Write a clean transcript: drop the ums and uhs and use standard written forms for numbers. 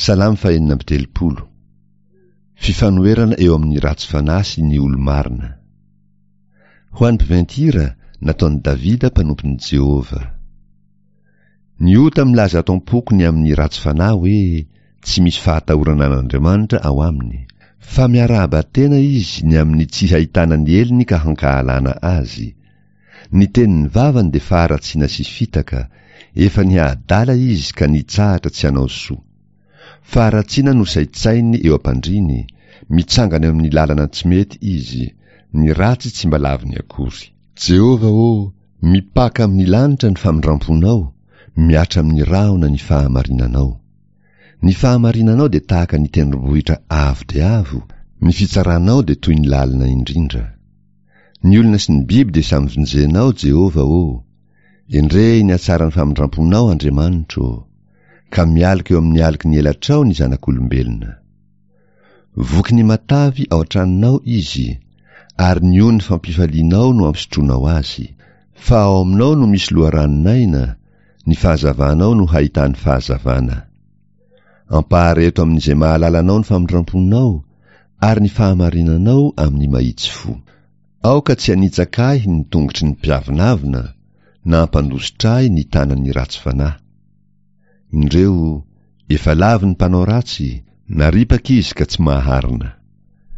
Salamo fahenina amby telopolo. Fifanoherana eo amin'ny ratsy fanahy sy ny olo-marina. Ho an'ny mpiventy-hira, nataon'i Davida mpanompon'i Jehovah. Ny ota milaza ato am-poko ny amin'ny ratsy fanahy hoe tsy misy fahatahorana an'Andriamanitra ao aminy. Fa miarahaba tena izy ny amin'ny tsy hahitana ny helony ka hankahalana azy. Ny tenin'ny vavany dia faharatsiana sy fitaka, efa niha-adala izy ka nitsahatra tsy hanao soa. Faharatsiana no saintsaininy eo am-pandriany, mitsangana eo amin'ny lalana tsy mety izy, ny ratsy tsy mba laviny akory. Jehovah ô, mipaka amin'ny lanitra ny famindram-ponao, mihatra amin'ny rahona ny fahamarinanao. Ny fahamarinanao dia tahaka ny tendrombohitra avo dia avo, ny fitsaranao dia toy ny lalina indrindra. Ny olona sy ny biby dia samy vonjenao, Jehovah ô! Endrey ny hatsaran'ny famindram-ponao, Andriamanitro ô! Ka mialoka eo amin'ny aloky ny elatrao ny zanak'olombelona. Voky ny matavy ao an-tranonao izy, ary ny ony fampifalianao no ampisotroanao azy. Fa ao aminao no misy loharanon'aina, ny fahazavanao no hahitany fahazavana. Ampahareto amin'izay mahalala anao ny famindram-ponao, ary ny fahamarinanao amin'ny mahitsy fo. Aoka tsy hanitsaka ahy ny tongotry ny mpiavonavona, na hampandositra ahy ny tanan'ny ratsy fanahy. Indreo, efa lavo ny mpanao ratsy, naripaka izy ka tsy maharina.